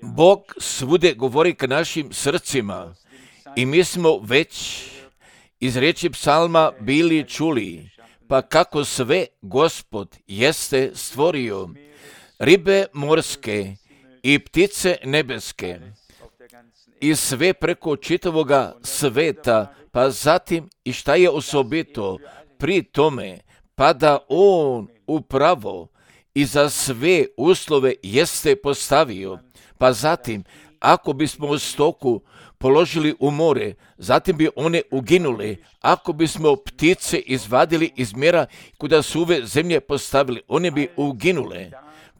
Bog svude govori k našim srcima i mi smo već iz riječi psalma bili čuli, pa kako sve Gospod jeste stvorio, ribe morske i ptice nebeske i sve preko čitavoga sveta, pa zatim i šta je osobito pri tome, pa da on upravo i za sve uslove jeste postavio, pa zatim ako bismo stoku položili u more, zatim bi one uginule. Ako bismo ptice izvadili iz mjera kuda su ove zemlje postavili, one bi uginule.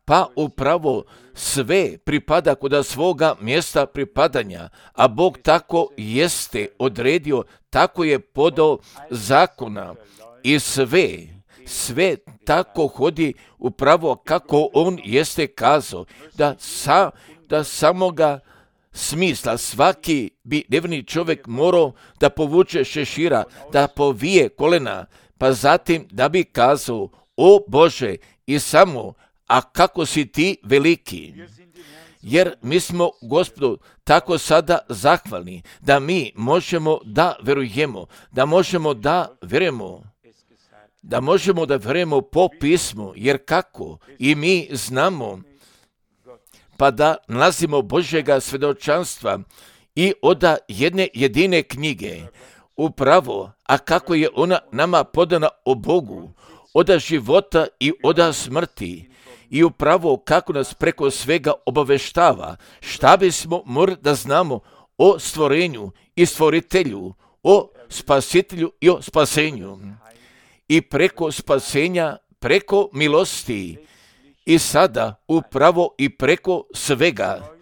Pa upravo sve pripada kuda svoga mjesta pripadanja, a Bog tako jeste odredio, tako je podao zakona i sve tako hodi upravo kako on jeste kazao, da samoga smisla svaki bi nevjerni čovjek morao da povuče šešira, da povije kolena, pa zatim da bi kazao, o Bože, i samo, a kako si ti veliki. Jer mi smo Gospodu tako sada zahvalni, da mi možemo da verujemo, da možemo da vjerujemo po pismu, jer kako i mi znamo, pa da nalazimo Božjega svjedočanstva i od jedne jedine knjige, upravo, a kako je ona nama podana o Bogu, od života i od smrti, i upravo kako nas preko svega obaveštava, šta bismo morali da znamo o stvorenju i stvoritelju, o spasitelju i o spasenju. I preko spasenja, preko milosti, i sada upravo i preko svega.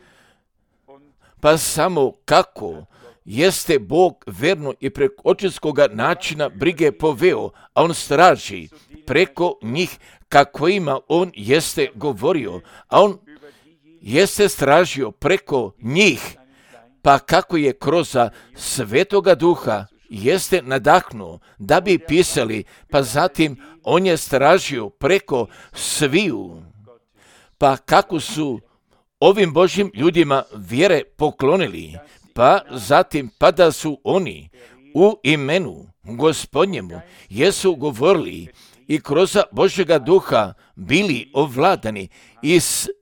Pa samo kako jeste Bog verno i preko očinskoga načina brige poveo, a on straži preko njih kako ima on jeste govorio, a on jeste stražio preko njih, pa kako je kroz Svetoga Duha jeste nadahnuo da bi pisali, pa zatim on je stražio preko sviju, pa kako su ovim Božjim ljudima vjere poklonili, pa zatim pa da su oni u imenu Gospodnjemu jesu govorili i kroz Božjega Duha bili ovladani i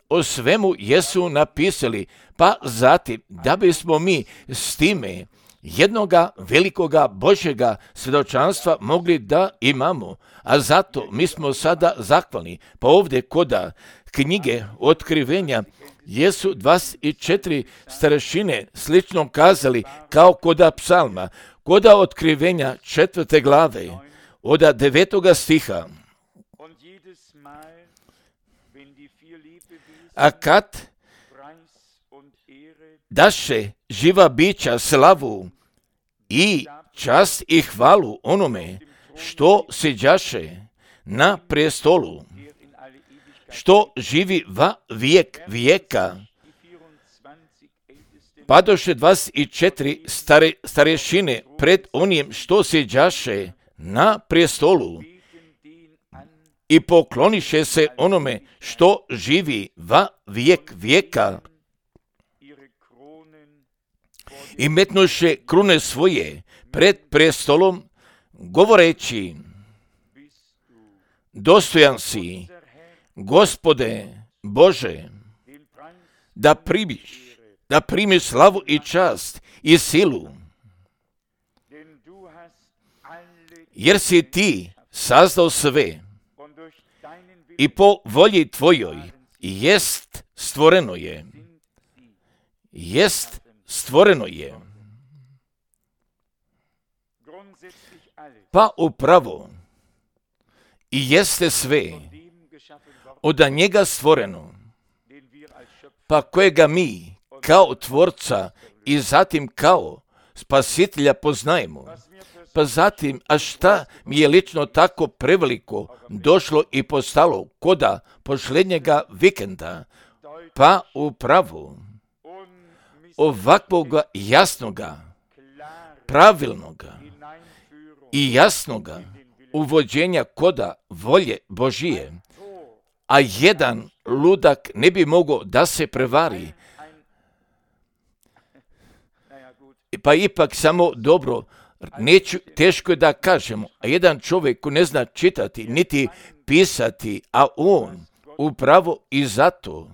o svemu jesu napisali, pa zatim da bismo mi s time jednoga velikoga Božjega svjedočanstva mogli da imamo, a zato mi smo sada zahvalni. Pa ovdje koda knjige Otkrivenja jesu 24 starešine slično kazali kao koda psalma, koda Otkrivenja 4. glave od 9. stiha. A kad daše živa bića slavu i čast i hvalu onome što siđaše na prestolu, što živi va vijek vijeka, padoše 24 starešine pred onim što siđaše na prestolu i pokloniše se onome što živi va vijek vijeka i metnuše krune svoje pred prestolom, govoreći, dostojan si, Gospode Bože, da primiš slavu i čast i silu, jer si ti sazdao sve i po volji tvojoj jest stvoreno je. Pa upravo i jeste sve od njega stvoreno, pa kojega mi kao tvorca i zatim kao spasitelja poznajemo. Pa zatim, a šta mi je lično tako preveliko došlo i postalo koda posljednjega vikenda, pa upravo ovakvoga jasnoga, pravilnoga i jasnoga uvođenja koda volje Božije, a jedan ludak ne bi mogao da se prevari. Pa ipak samo dobro, teško je da kažemo, a jedan čovjek ko ne zna čitati niti pisati, a on upravo i zato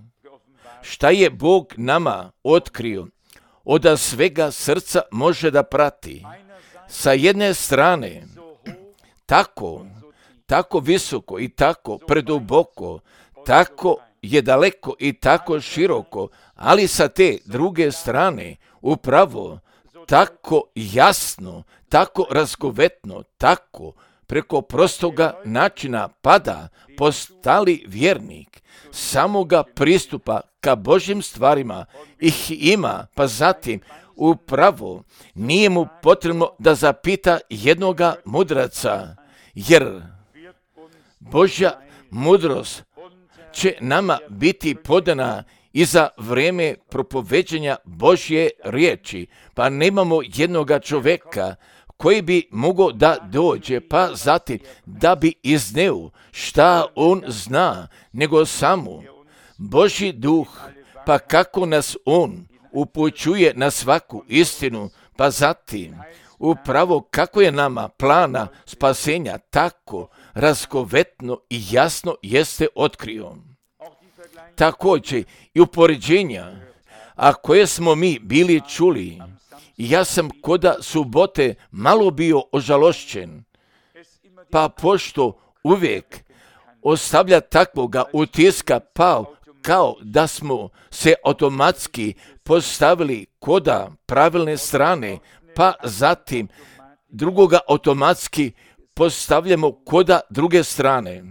šta je Bog nama otkrio, od svega srca može da prati. Sa jedne strane, tako visoko i tako preduboko, tako je daleko i tako široko, ali sa te druge strane, upravo tako jasno, tako razgovetno, tako preko prostoga načina pada postali vjernik, samoga pristupa ka Božjim stvarima ih ima, pa zatim upravo nije mu potrebno da zapita jednoga mudraca, jer Božja mudrost će nama biti podana i za vrijeme propoveđenja Božje riječi, pa nemamo jednoga čovjeka koji bi mogao da dođe, pa zatim da bi izneo šta on zna, nego samo Božji duh, pa kako nas on upućuje na svaku istinu, pa zatim upravo kako je nama plana spasenja tako razgovetno i jasno jeste otkrio. Također i upoređenja, a koje smo mi bili čuli, ja sam koda subote malo bio ožalošćen, pa pošto uvijek ostavlja takvoga utiska, pa kao da smo se automatski postavili koda pravilne strane, pa zatim drugoga automatski postavljamo koda druge strane,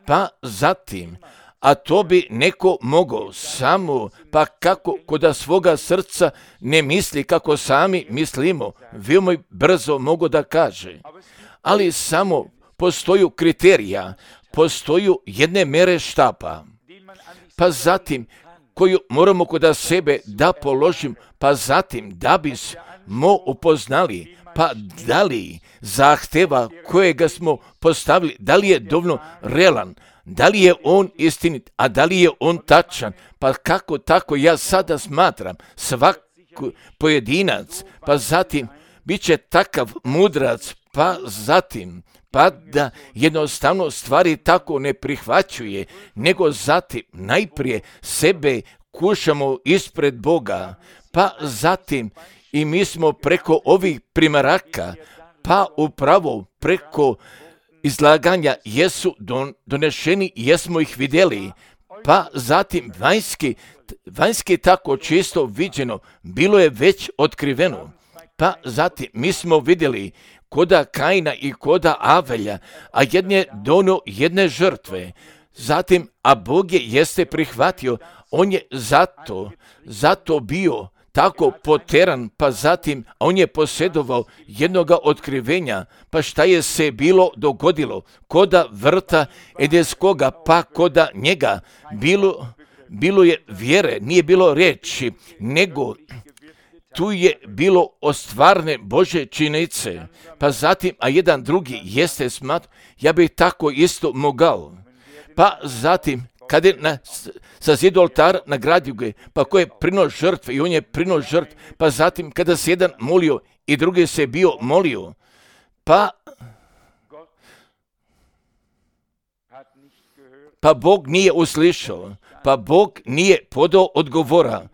pa zatim, a to bi neko mogao samo, pa kako koda svoga srca ne misli kako sami mislimo, veoma brzo mogu da kaže. Ali samo postoju kriterija, postoju jedne mere štapa, pa zatim koju moramo kod sebe da položim, pa zatim da bismo upoznali, pa da li zahteva kojega smo postavili, da li je dovoljno realan, da li je on istinit, a da li je on tačan, pa kako tako ja sada smatram svaki pojedinac, pa zatim bit će takav mudrac, pa zatim pa da jednostavno stvari tako ne prihvaćuje, nego zatim najprije sebe kušamo ispred Boga, pa zatim i mi smo preko ovih primaraka, pa upravo preko izlaganja jesu donešeni, jesmo ih vidjeli, pa zatim vanjski tako čisto viđeno, bilo je već otkriveno, pa zatim mi smo vidjeli koda Kaina i koda Avelja, a jedne dono jedne žrtve, zatim, a Bog jeste prihvatio, on je zato bio tako poteran, pa zatim on je posjedovao jednoga otkrivenja, pa šta je se bilo dogodilo, koda vrta edenskoga, pa koda njega, bilo je vjere, nije bilo riječi, nego tu je bilo ostvarne Božje činjenice, pa zatim, a jedan drugi jeste ja bih tako isto mogao, pa zatim, kad je sa zidu oltara nagradio ga, pa ko je prino žrtve i on je prino žrtve, pa zatim kada se jedan molio i drugi se bio molio, pa Bog nije uslišao, pa Bog nije podao odgovora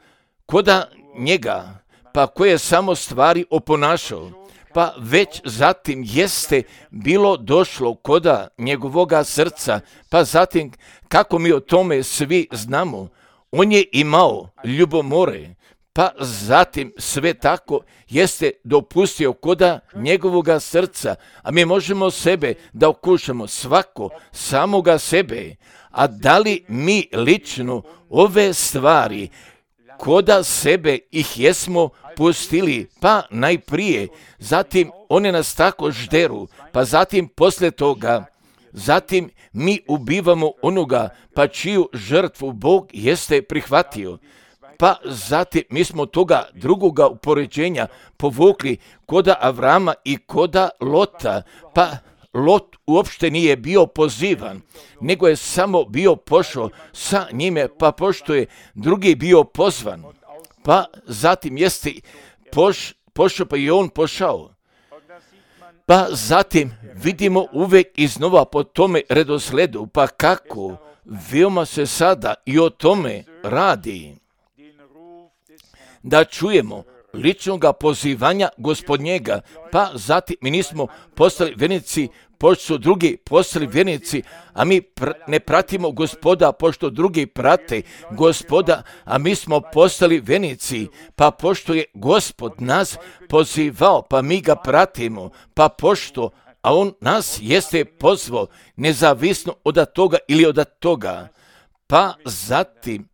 koda njega, pa ko je samo stvari oponašao, pa već zatim jeste bilo došlo koda njegovoga srca, pa zatim kako mi o tome svi znamo, on je imao ljubomore, pa zatim sve tako jeste dopustio koda njegovoga srca, a mi možemo sebe da okušamo svako samoga sebe, a da li mi lično ove stvari koda sebe ih jesmo pustili, pa najprije, zatim one nas tako žderu, pa zatim poslije toga, zatim mi ubivamo onoga, pa čiju žrtvu Bog jeste prihvatio, pa zatim mi smo toga drugoga upoređenja povukli koda Avrama i koda Lota, pa Lot uopšte nije bio pozivan, nego je samo bio pošao sa njime, pa pošto je drugi bio pozvan, pa zatim jeste pošao, pa i on pošao. Pa zatim vidimo uvijek iznova po tome redosledu, pa kako veoma se sada i o tome radi. Da čujemo ličnog pozivanja Gospodnjega, pa zatim mi nismo postali vjernici, pošto su drugi postali vjernici, a mi ne pratimo Gospoda, pošto drugi prate Gospoda, a mi smo postali vjernici, pa pošto je Gospod nas pozivao, pa mi ga pratimo, pa pošto, a on nas jeste pozvao, nezavisno od toga ili od toga, pa zatim,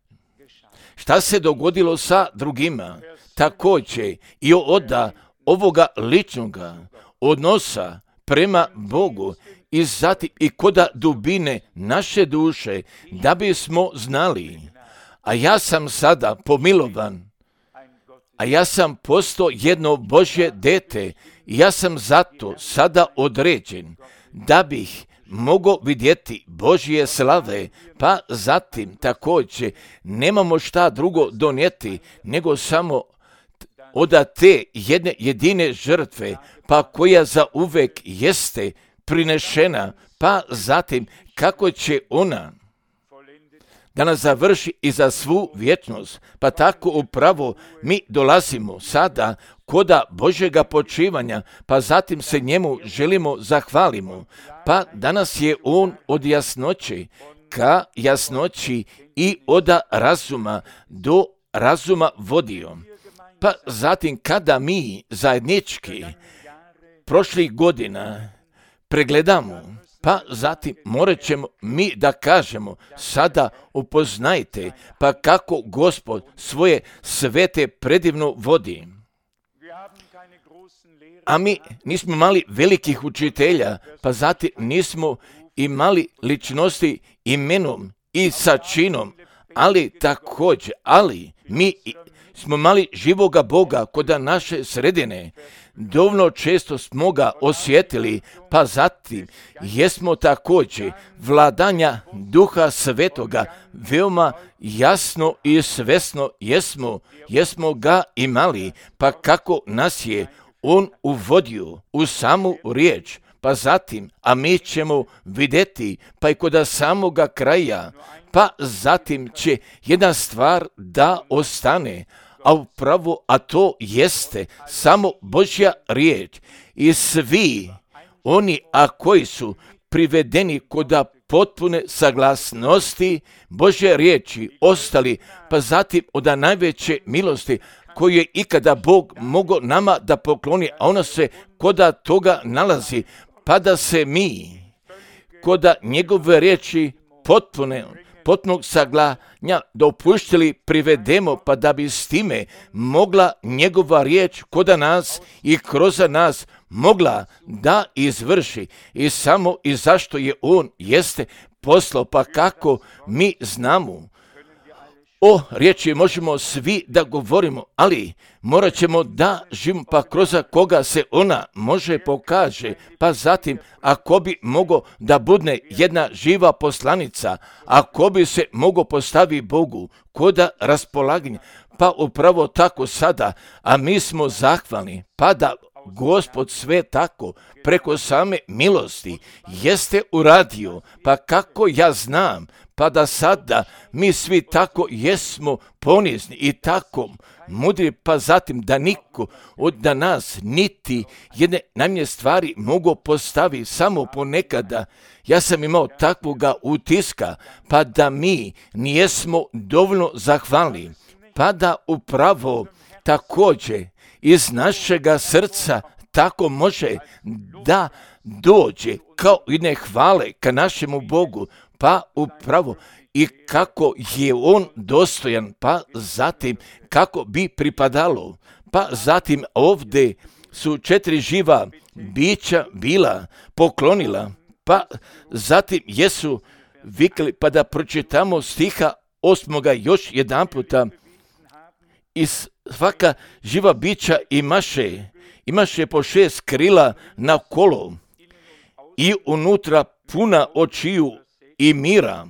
šta se dogodilo sa drugima? Također i od ovoga ličnoga odnosa prema Bogu i zatim i kod dubine naše duše, da bismo znali, a ja sam sada pomilovan, a ja sam postao jedno Božje dete, i ja sam zato sada određen, da bih mogao vidjeti Božje slave, pa zatim također nemamo šta drugo donijeti, nego samo od te jedne jedine žrtve, pa koja za uvek jeste prinešena, pa zatim kako će ona da nas završi i za svu vječnost, pa tako upravo mi dolazimo sada koda Božjega počivanja, pa zatim se njemu želimo zahvalimo, pa danas je on od jasnoće ka jasnoći i od razuma do razuma vodio. Pa zatim kada mi zajednički prošlih godina pregledamo, pa zatim morat ćemo mi da kažemo, sada upoznajte, pa kako Gospod svoje svete predivno vodi. A mi nismo imali velikih učitelja, pa zatim nismo imali ličnosti imenom i sa činom, ali također, mi smo imali živoga Boga kod naše sredine. Dovoljno često smo ga osjetili, pa zatim jesmo također vladanja Duha Svetoga veoma jasno i svesno jesmo ga imali, pa kako nas je on uvodio u samu riječ, pa zatim, a mi ćemo vidjeti, pa i kod samoga kraja, pa zatim će jedna stvar da ostane, a upravo, a to jeste samo Božja riječ i svi oni, a koji su privedeni kod potpune saglasnosti Božje riječi ostali, pa zatim od najveće milosti koju je ikada Bog mogao nama da pokloni, a ona se kod toga nalazi, pa da se mi kod njegove riječi potpunog saglanja dopuštili privedemo, pa da bi s time mogla njegova riječ kod nas i kroz nas mogla da izvrši. I samo i zašto je on jeste poslao, pa kako mi znamo. O riječi možemo svi da govorimo, ali morat ćemo da živimo, pa kroz koga se ona može pokaže, pa zatim ako bi mogao da budne jedna živa poslanica, ako bi se mogao postavi Bogu kod raspolaganja, pa upravo tako sada, a mi smo zahvalni, pa da Gospod sve tako preko same milosti jeste uradio, pa kako ja znam, pa da sada mi svi tako jesmo ponizni i tako mudri, pa zatim da niko od nas niti jedne najmanje stvari mogu postaviti samo ponekada. Ja sam imao takvoga utiska, pa da mi nijesmo dovoljno zahvalni, pa da upravo također iz našega srca tako može da dođe kao jedne hvale ka našemu Bogu, pa upravo i kako je on dostojan, pa zatim kako bi pripadalo, pa zatim ovdje su 4 živa bića bila poklonila, pa zatim jesu vikli, pa da pročitamo stiha 8. još jedan puta. I svaka živa bića imaše po 6 krila na kolo i unutra puna očiju i mira,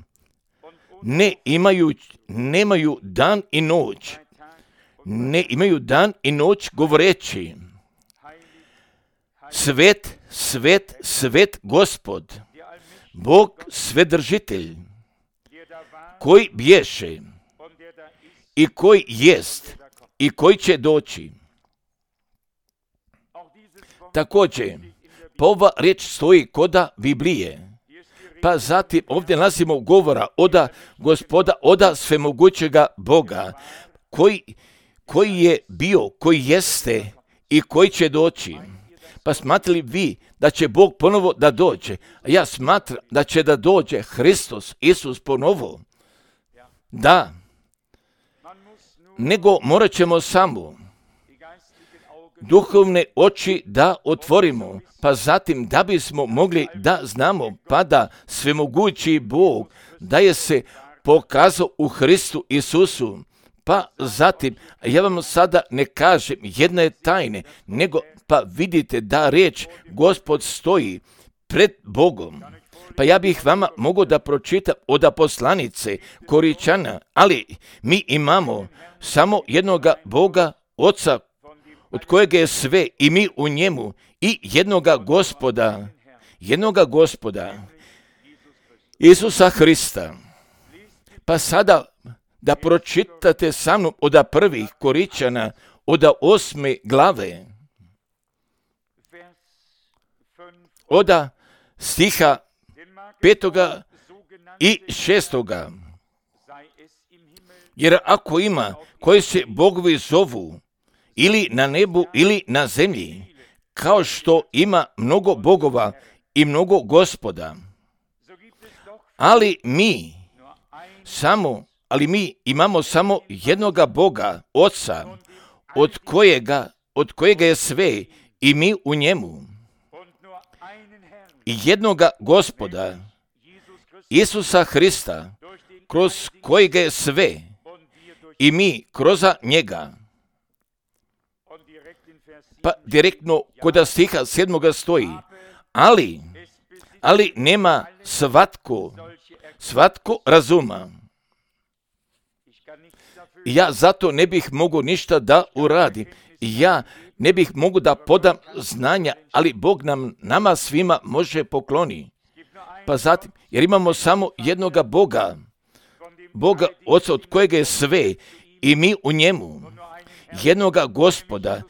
nemaju dan i noć, ne imaju dan i noć govoreći: svet, svet, svet Gospod, Bog Svedržitelj, koji bješe i koji jest i koji će doći. Također, ova riječ stoji koda Biblije. Pa zatim ovdje nalazimo govora oda Gospoda, oda svemogućega Boga, koji je bio, koji jeste i koji će doći. Pa smatrali vi da će Bog ponovo da dođe? A ja smatram da će da dođe Hristos, Isus ponovo. Da, nego morat ćemo samo duhovne oči da otvorimo, pa zatim da bismo mogli da znamo, pa da svemogući Bog da je se pokazao u Hristu Isusu. Pa zatim, ja vam sada ne kažem jedne tajne, nego pa vidite da riječ Gospod stoji pred Bogom. Pa ja bih vama mogao da pročitam od poslanice Koričana, ali mi imamo samo jednoga Boga, Oca, od kojeg je sve i mi u njemu, i jednoga Gospoda, Isusa Hrista. Pa sada da pročitate sa mnom od prvih Koričana, od 8. glave, od stiha 5. i 6. Jer ako ima koji se bogovi zovu ili na nebu ili na zemlji, kao što ima mnogo bogova i mnogo gospoda, ali mi imamo samo jednoga Boga, Oca, od kojega je sve i mi u njemu, i jednoga Gospoda, Isusa Hrista, kroz kojega je sve i mi kroz njega. Pa direktno kod stiha 7. stoji: ali nema svatko razuma. Ja zato ne bih mogao ništa da uradim. Ja ne bih mogao da podam znanja, ali Bog nama svima može pokloni. Pa zatim, jer imamo samo jednoga Boga, Oca, od kojega je sve i mi u njemu, jednoga Gospoda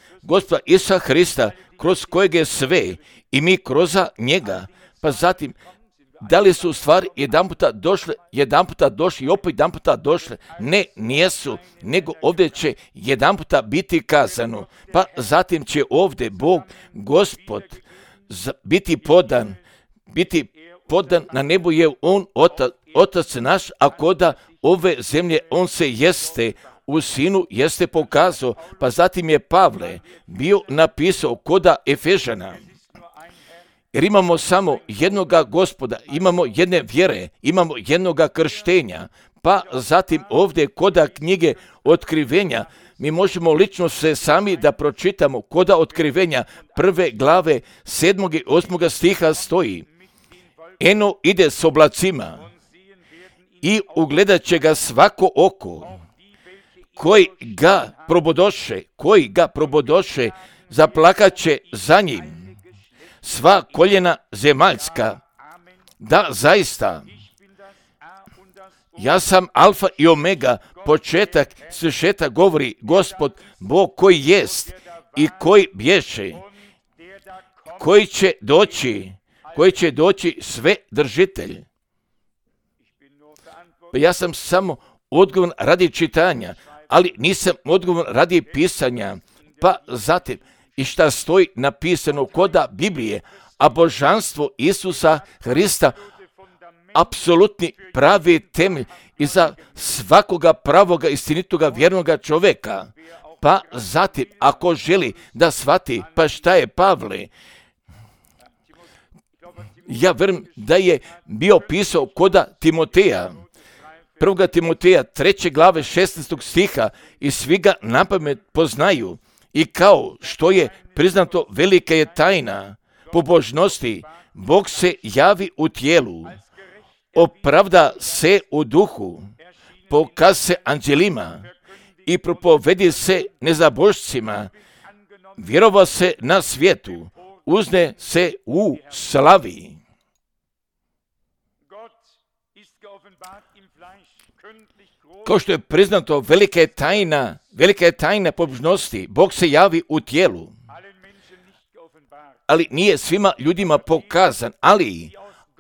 Isusa Hrista, kroz kojega je sve i mi kroz njega. Pa zatim, da li su stvari jedan puta došli i opet jedan puta došle? Ne, nijesu, nego ovdje će jedan puta biti kazano. Pa zatim će ovdje Bog, Gospod, biti podan na nebu je On, Otac naš, a koda ove zemlje On se jeste u Sinu jeste pokazao. Pa zatim je Pavle bio napisao koda Efežana. Jer imamo samo jednoga Gospoda, imamo jedne vjere, imamo jednoga krštenja. Pa zatim ovdje koda knjige Otkrivenja, mi možemo lično se sami da pročitamo koda Otkrivenja 1. glave 7. i 8. stiha stoji: eno ide s oblacima i ugledat će ga svako oko, koji ga probodoše, zaplakat će za njim sva koljena zemaljska. Da, zaista, ja sam Alfa i Omega, početak, svršetak, govori Gospod, Bog koji jest i koji bješe, koji će doći sve držitelj. Ja sam samo odgovoran radi čitanja, ali nisam odgovoran radi pisanja. Pa zatim, i šta stoji napisano koda Biblije, a božanstvo Isusa Hrista apsolutni pravi temelj iza svakoga pravoga istinitoga vjernoga čovjeka. Pa zatim, ako želi da shvati, pa šta je Pavle? Ja vjerujem da je bio pisao koda Timoteja, 1. Timoteja 3. glave 16. stiha, i svi ga napamet poznaju. I kao što je priznato, velika je tajna pobožnosti, Bog se javi u tijelu, opravda se u duhu, pokaz se anđelima i propovedi se nezabožcima, vjerova se na svijetu, uzne se u slavi. Kao što je priznato, velika je tajna pobožnosti, Bog se javi u tijelu, ali nije svima ljudima pokazan, ali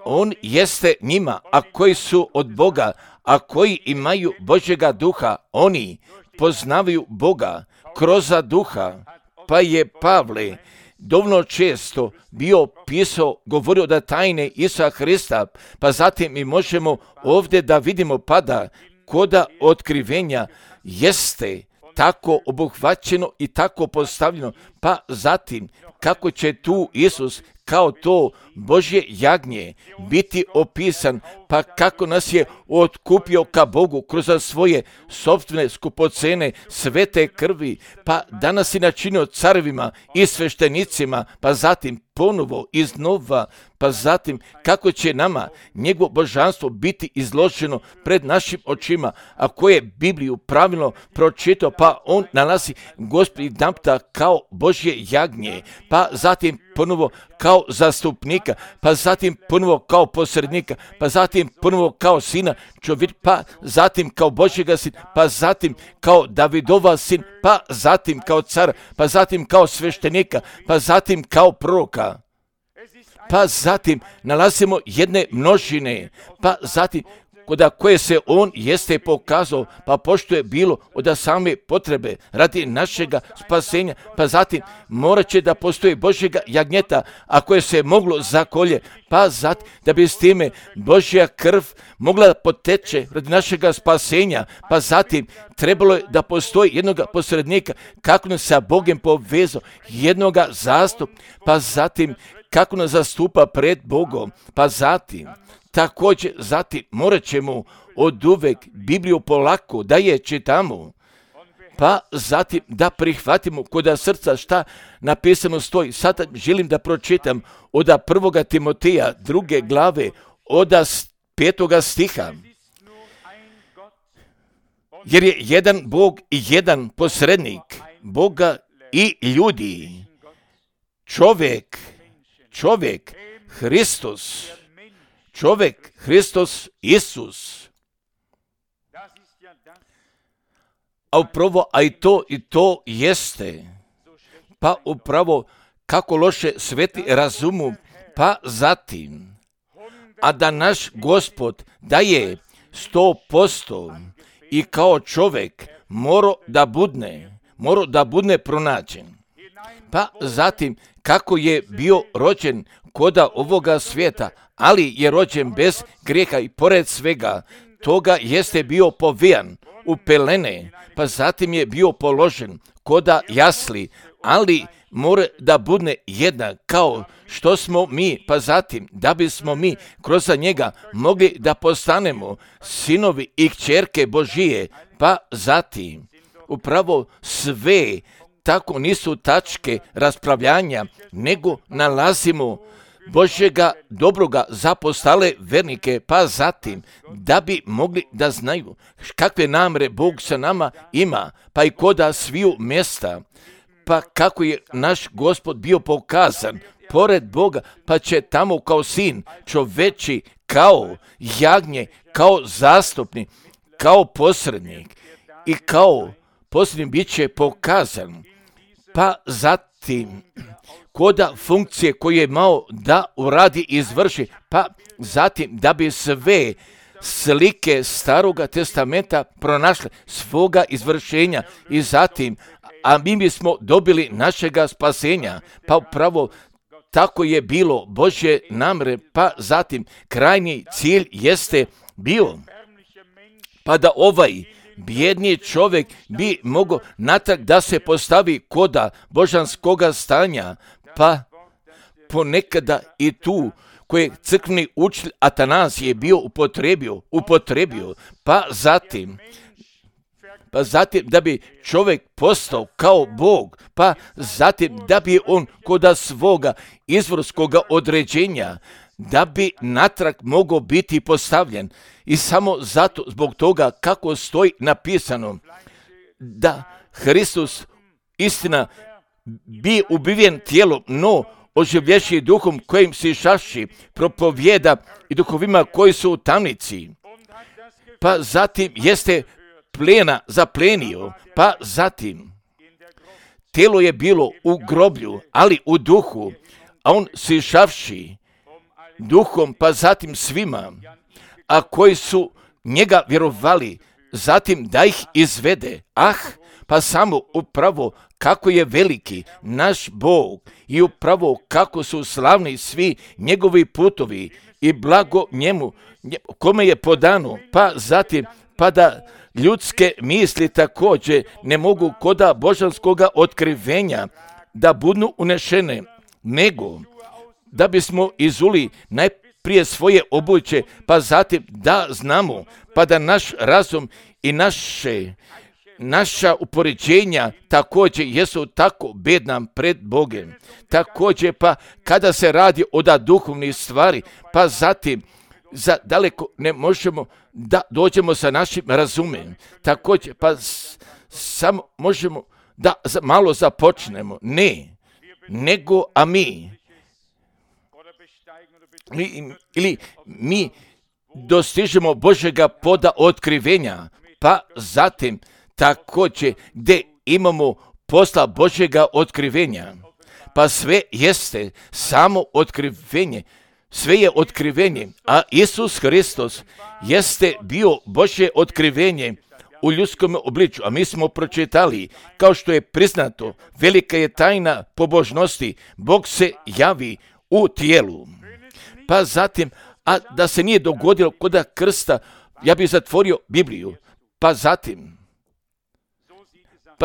On jeste njima, a koji su od Boga, a koji imaju Božjega duha, oni poznavaju Boga kroz duha. Pa je Pavle dovoljno često bio pisao, govorio da tajne Isusa Hrista, pa zatim mi možemo ovdje da vidimo pada koda otkrivenja jeste tako obuhvaćeno i tako postavljeno, pa zatim kako će tu Isus kao to Božje jagnje biti opisan, pa kako nas je otkupio ka Bogu kroz svoje sopstvene skupocene svete krvi, pa danas je načinio carevima i sveštenicima, pa zatim ponovo iznova, pa zatim kako će nama njegovo božanstvo biti izloženo pred našim očima, a ko je Bibliju pravilno pročitao, pa on nalazi Gospodi Dampta kao Božje jagnje, pa zatim ponovo kao zastupnika, pa zatim ponovo kao posrednika, pa zatim ponovo kao sina čovjek, pa zatim kao Božjega sin, pa zatim kao Davidova sin, pa zatim kao cara, pa zatim kao sveštenika, pa zatim kao proroka. Pa zatim nalazimo jedne množine, pa zatim koda koje se on jeste pokazao, pa pošto je bilo od same potrebe radi našega spasenja, pa zatim morat će da postoji Božjega jagnjeta, a koje se moglo zakolje, pa zatim da bi s time Božja krv mogla poteče radi našega spasenja, pa zatim trebalo je da postoji jednoga posrednika, kako nas sa Bogom povezao, jednoga zastup, pa zatim kako nas zastupa pred Bogom, pa zatim također zatim morat ćemo od uvek Bibliju polako da je čitamo, pa zatim da prihvatimo kod srca šta napisano stoji. Sada želim da pročitam od 1. Timoteja 2. glave od 5. stiha. Jer je jedan Bog i jedan posrednik Boga i ljudi, čovjek Hristos Isus. A upravo, a i to jeste, pa upravo kako loše sveti razumu, pa zatim, a da naš Gospod daje 100% i kao čovjek mora da budne pronađen. Pa zatim, kako je bio rođen koda ovoga svijeta, ali je rođen bez grijeha i pored svega toga jeste bio povijan u pelene, pa zatim je bio položen koda jasli, ali mora da budne jednak kao što smo mi, pa zatim da bismo mi kroz njega mogli da postanemo sinovi i kćerke Božije, pa zatim upravo sve tako nisu tačke raspravljanja, nego nalazimo Božjega dobroga za postale vernike, pa zatim da bi mogli da znaju kakve namere Bog sa nama ima, pa i koda sviju mjesta, pa kako je naš Gospod bio pokazan pored Boga, pa će tamo kao sin čoveči, kao jagnje, kao zastupnik, kao posrednik i kao posrednik bit će pokazan, pa zatim koda funkcije koje je imao da uradi i izvrši, pa zatim da bi sve slike Staroga testamenta pronašle svoga izvršenja i zatim, a mi bismo dobili našega spasenja, pa upravo tako je bilo Božje namere, pa zatim krajnji cilj jeste bio, pa da ovaj bijedni čovjek bi mogao natrag da se postavi koda božanskoga stanja, pa ponekada i tu koje crkveni učitelj Atanazije je bio upotrebio, pa zatim pa zatim da bi čovjek postao kao Bog, pa zatim da bi on kod svoga izvorskoga određenja, da bi natrag mogao biti postavljen. I samo zato, zbog toga kako stoji napisano, da Hristos istina bi ubiven tijelom, no oživlješi duhom kojim se šaši propovjeda i duhovima koji su u tamnici. Pa zatim jeste plena zaplenio, pa zatim tijelo je bilo u groblju, ali u duhu, a on se šavši duhom, pa zatim svima, a koji su njega vjerovali, zatim da ih izvede. Pa samo upravo kako je veliki naš Bog i upravo kako su slavni svi njegovi putovi i blago njemu, kome je podano, pa zatim pa da ljudske misli također ne mogu koda božanskoga otkrivenja da budu unešene, nego da bismo izuli najprije svoje obuće, pa zatim da znamo, pa da naš razum i naša upoređenja također jesu tako bedna pred Bogem. Također pa kada se radi o duhovnih stvari, pa zatim za daleko ne možemo da dođemo sa našim razumem. Također pa samo možemo da malo započnemo. Ne, nego a mi ili mi dostižemo Božjega poda otkrivenja, pa zatim također gdje imamo posla Božjega otkrivenja, pa sve jeste samo otkrivenje, sve je otkrivenje, a Isus Hristos jeste bio Božje otkrivenje u ljudskom obličju, a mi smo pročitali, kao što je priznato, velika je tajna pobožnosti, Bog se javi u tijelu. Pa zatim, a da se nije dogodilo kod krsta, ja bih zatvorio Bibliju, pa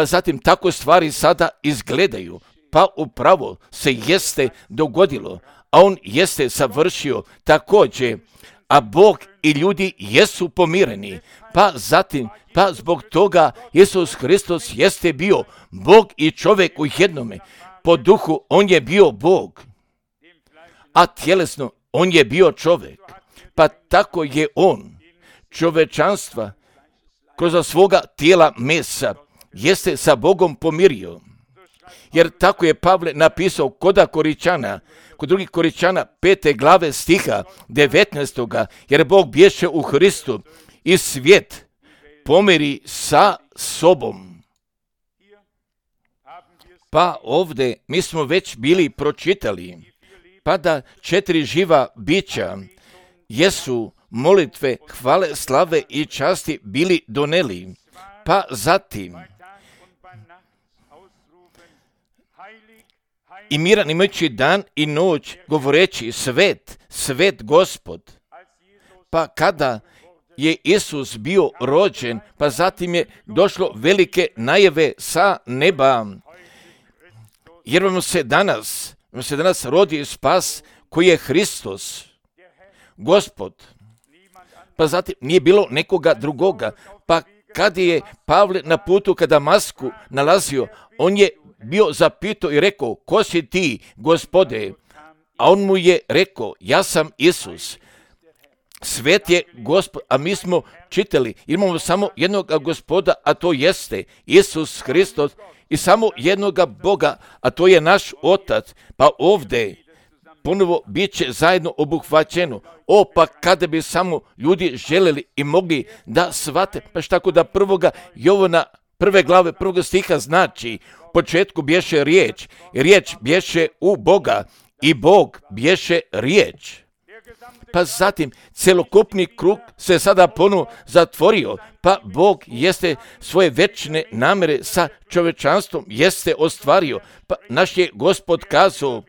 zatim tako stvari sada izgledaju, pa upravo se jeste dogodilo, a on jeste savršio također, a Bog i ljudi jesu pomireni, pa zatim, pa zbog toga Isus Hristos jeste bio Bog i čovjek u jednome, po duhu on je bio Bog, a tjelesno on je bio čovjek, pa tako je on čovečanstva kroz svoga tijela mesa jeste sa Bogom pomirio. Jer tako je Pavle napisao kod drugih Koričana 5. glave stiha 19. Jer Bog bješe u Hristu i svijet pomiri sa sobom. Pa ovdje mi smo već bili pročitali, pa da 4 živa bića jesu molitve, hvale, slave i časti bili doneli. Pa zatim i miran imajući dan i noć govoreći svet, svet Gospod. Pa kada je Isus bio rođen, pa zatim je došlo velike najave sa neba. Jer vam se danas rodi spas koji je Hristos, Gospod. Pa zatim nije bilo nekoga drugoga. Pa kad je Pavle na putu ka Damasku nalazio, on je bio zapitao i rekao, ko si ti, Gospode? A on mu je rekao, ja sam Isus. Svet je Gospod, a mi smo čitali, imamo samo jednog Gospoda, a to jeste Isus Hristos i samo jednoga Boga, a to je naš Otac. Pa ovdje ponovo bit će zajedno obuhvaćeno. Pa kada bi samo ljudi željeli i mogli da shvate, pa tako da 1. Jovana 1. glave 1. stiha znači, u početku bješe riječ, i riječ bješe u Boga, i Bog bješe riječ. Pa zatim celokupni krug se sada ponovo zatvorio, pa Bog jeste svoje večne namere sa čovečanstvom jeste ostvario. Pa naš je Gospod kazao,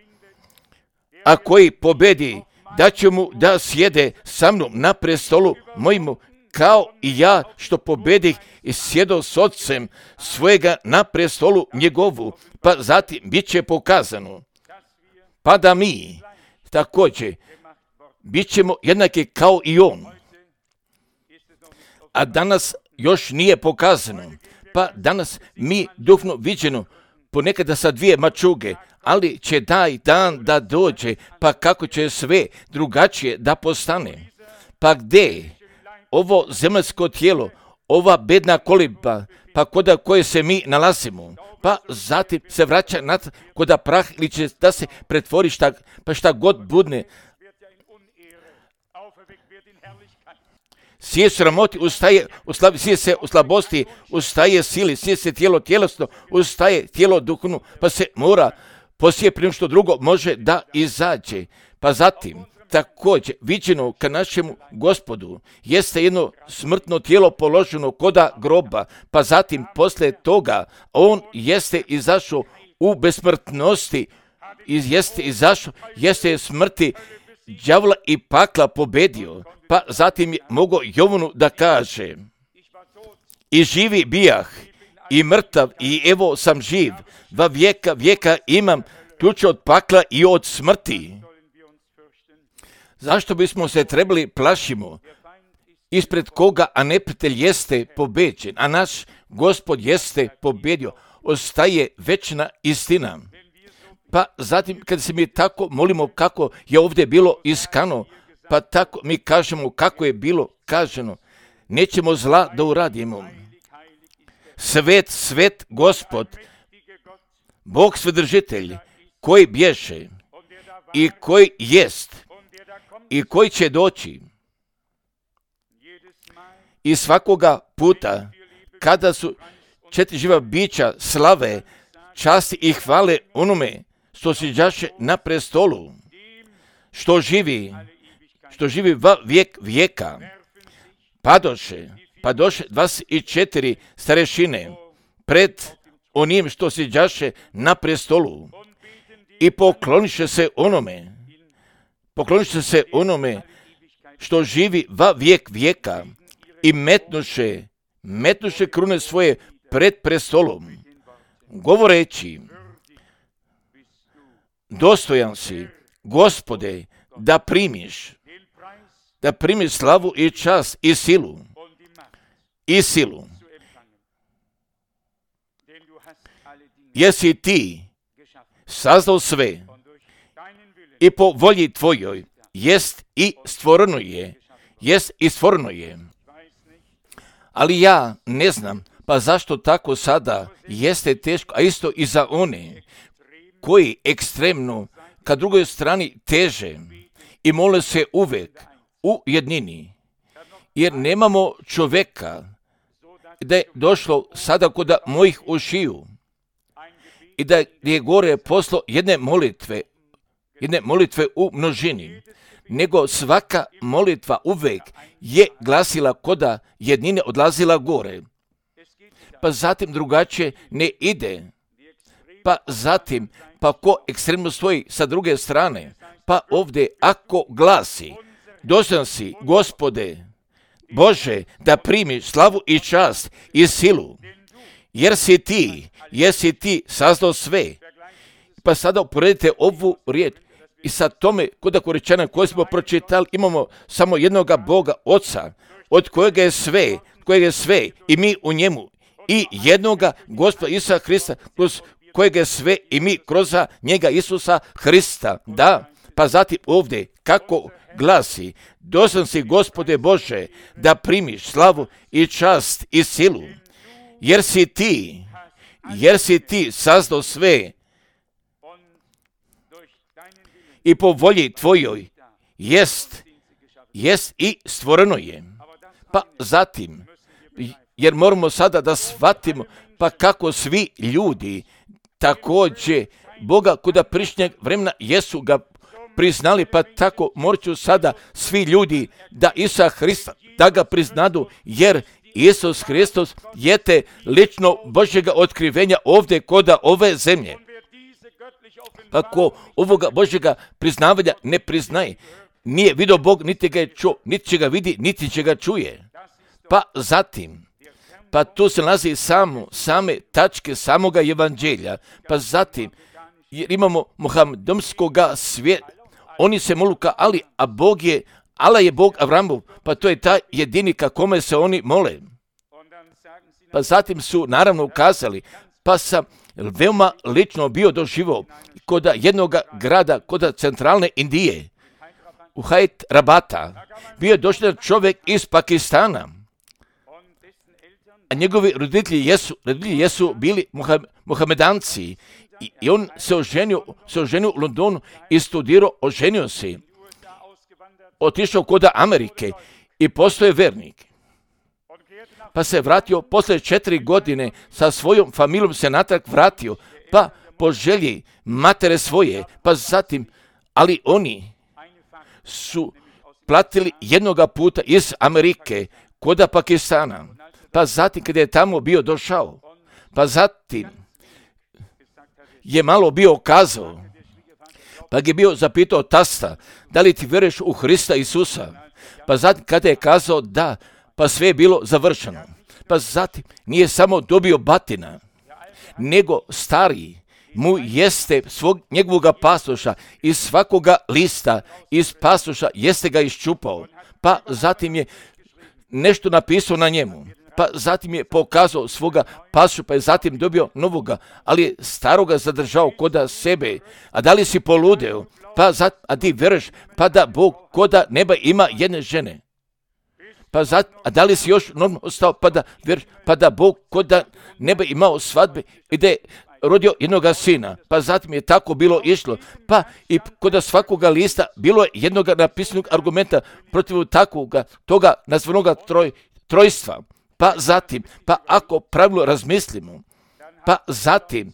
a koji pobedi, da će mu da sjede sa mnom na prestolu mojimu, kao i ja što pobedih i sjedo s Otcem svojega na prestolu njegovu. Pa zatim bit će pokazano, pa da mi također bit ćemo jednaki kao i on. A danas još nije pokazano. Pa danas mi duhovno viđeno ponekada sa dvije mačuge, ali će taj dan da dođe, pa kako će sve drugačije da postane. Pa gdje ovo zemaljsko tijelo, ova bedna koliba, pa koda koje se mi nalazimo, pa zatim se vraća koda prah ili će da se pretvori šta god budne. Sije sramoti, ustaje sije se u slabosti, ustaje sili, sije se tijelo tjelesno, ustaje tijelo duhovno, pa se mora posije prije što drugo može da izađe. Pa zatim, također, viđeno ka našemu Gospodu, jeste jedno smrtno tijelo položeno koda groba, pa zatim poslije toga on jeste izašao u besmrtnosti, jeste smrti đavola i pakla pobedio, pa zatim je mogao Jovanu da kaže: i živi bijah, i mrtav, i evo sam živ, va vijeka imam ključ od pakla i od smrti. Zašto bismo se trebali plašimo? Ispred koga, a neprijatelj jeste pobeđen, a naš Gospod jeste pobedio, ostaje večna istina. Pa zatim, kad se mi tako molimo kako je ovdje bilo iskano, pa tako mi kažemo kako je bilo kaženo, nećemo zla da uradimo. Svet Gospod, Bog svedržitelj, koji bješe i koji jest i koji će doći. I svakoga puta, kada su 4 živa bića slave, časti i hvale onome što siđaše na prestolu, što živi va vijek vijeka, padoše 24 starešine pred onim što siđaše na prestolu i pokloniše se onome što živi va vijek vijeka i metnuše krune svoje pred prestolom, govoreći: dostojan si, Gospode, da primiš slavu i čast i silu. Jesi ti sazdao sve i po volji tvojoj jest i stvoreno je. Ali ja ne znam, pa zašto tako sada jeste teško, a isto i za one koji ekstremno ka drugoj strani teže i mole se uvek u jednini, jer nemamo čovjeka da je došlo sada kod mojih ušiju i da je gore poslo jedne molitve u množini, nego svaka molitva uvek je glasila koda jednine odlazila gore. Pa zatim drugačije ne ide. Pa zatim, pa ko ekstremno stoji sa druge strane, pa ovdje ako glasi: dostojan si, Gospode, Bože, da primiš slavu i čast i silu, jer si ti sazdao sve. Pa sada uporedite ovu riječ i sa tome kod Korinčana koje smo pročitali, imamo samo jednoga Boga, Oca, od kojega je sve i mi u njemu, i jednoga Gospoda Isusa Hrista, kroz kojega je sve i mi kroz njega Isusa Hrista. Da, pa zatim ovdje kako glasi: dostojan si, Gospode Bože, da primiš slavu i čast i silu, jer si ti sazdao sve i po volji tvojoj jest i stvoreno je. Pa zatim, jer moramo sada da shvatimo, pa kako svi ljudi također Boga kuda prišnjeg vremena jesu ga priznali, pa tako morat sada svi ljudi da Isusa Hrista da ga priznadu, jer Isus Hristos je te lično Božjega otkrivenja ovdje koda ove zemlje. Pa ko ovoga Božjega priznavanja ne priznaje, nije vidio Bog, niti ga je čuo, niti će ga vidi, niti će ga čuje. Pa zatim, pa tu se nalazi same tačke samoga evanđelja. Pa zatim, jer imamo muhamedonskoga svijeta, oni se molu ka Ali, a Allah je Bog Avramov, pa to je taj jedini ka kome se oni mole. Pa zatim su naravno ukazali, pa sam veoma lično bio doživio kod jednog grada, kod centralne Indije, u Hyderabada, bio je došao čovjek iz Pakistana, a njegovi roditelji jesu bili Muhamedanci i on se oženio u Londonu i studirao, oženio se, otišao kod Amerike i postao je vernik. Pa se vratio, posle 4 godine sa svojom familijom se natrag vratio, pa po želji matere svoje, pa zatim, ali oni su platili jednoga puta iz Amerike kod Pakistana, pa zatim kada je tamo bio došao, pa zatim je malo bio kazao, pa je bio zapitao tasta, da li ti vjeruješ u Hrista Isusa? Pa zatim kada je kazao da, pa sve je bilo završeno. Pa zatim nije samo dobio batina, nego stari mu jeste njegovoga pasoša iz svakoga lista iz pasoša jeste ga iščupao. Pa zatim je nešto napisao na njemu. Pa zatim je pokazao svoga pasoša, pa je zatim dobio novoga, ali je staroga zadržao kod sebe. A da li si poludeo? Pa zatim, a ti vjeruješ, pa da Bog kod neba ima jedne žene. Pa zatim, a da li si još normalno ostao, pa da Bog kod neba imao svadbe i da je rodio jednoga sina. Pa zatim je tako bilo išlo. Pa i kod svakoga lista bilo je jednog napisanog argumenta protiv toga nazvanoga trojstva. Pa zatim, pa ako pravilno razmislimo, pa zatim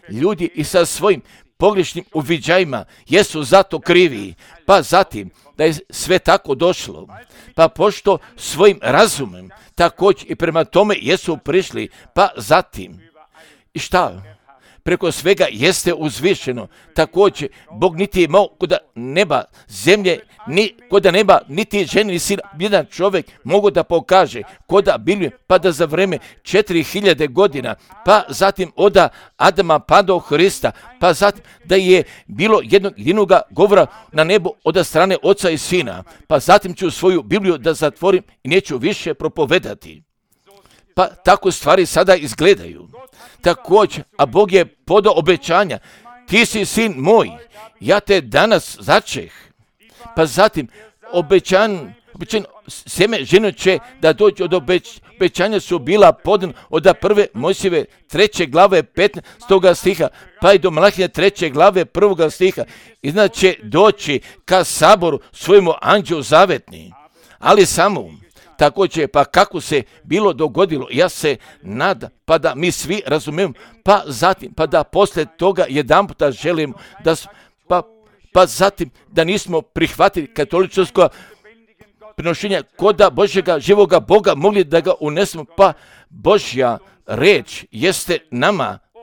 ljudi i sa svojim pogrešnim uviđajima jesu zato krivi. Pa zatim, da je sve tako došlo, pa pošto svojim razumem također i prema tome jesu prišli, pa zatim, i šta? Preko svega jeste uzvišeno. Također, Bog niti je imao kod neba, zemlje, ni kod neba, niti žene, ni sina, jedan čovjek mogu da pokaže kod Biblije, pa da za vreme 4000 godina, pa zatim od Adama pa do Hrista, pa zatim da je bilo jednog govora na nebu od strane Oca i Sina, pa zatim ću svoju Bibliju da zatvorim i neću više propovedati. Pa tako stvari sada izgledaju. Također, a Bog je podao obećanja, ti si sin moj, ja te danas začeh. Pa zatim, obećan sjeme žene će da dođe od obećanja su bila podana od 1. Mojsijeve 3. glave 15. stiha, pa i do Malahije 3. glave 1. stiha. I znači doći ka saboru svojemu anđelu zavetni, ali samo također, pa kako se bilo dogodilo, ja se nadam, pa da mi svi razumijemo, pa zatim, pa da poslije toga jedanputa želimo da, pa zatim da nismo prihvatili katoličko prinošenje koda Božjega živoga Boga, mogli da ga unesemo, pa Božja reč jeste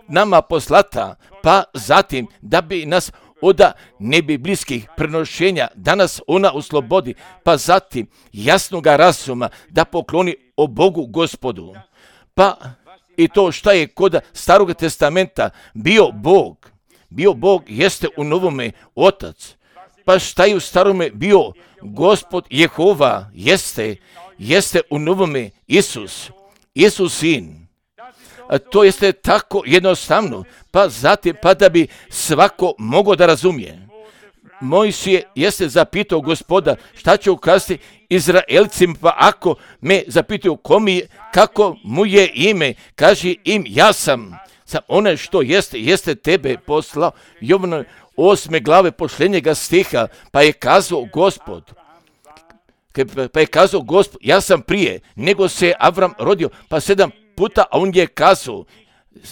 nama poslata, pa zatim da bi nas od nebiblijskih prenošenja danas ona uslobodi, pa zatim jasnoga razuma da pokloni o Bogu Gospodu. Pa i to šta je kod Starog testamenta bio Bog jeste u Novome Otac. Pa šta je u Starome bio Gospod Jehova jeste u Novome Isus Sin. A to jeste tako jednostavno, pa zatim, pa da bi svako mogao da razumije. Mojsije jeste zapitao Gospoda šta će ukazati Izraelcima, pa ako me zapitaju kako mu je ime, kaži im ja sam one što jeste tebe poslao. Jovana 8. glave posljednjega stiha, pa je kazao Gospod, ja sam prije nego se Avram rodio, pa 7 puta, a on je kazao,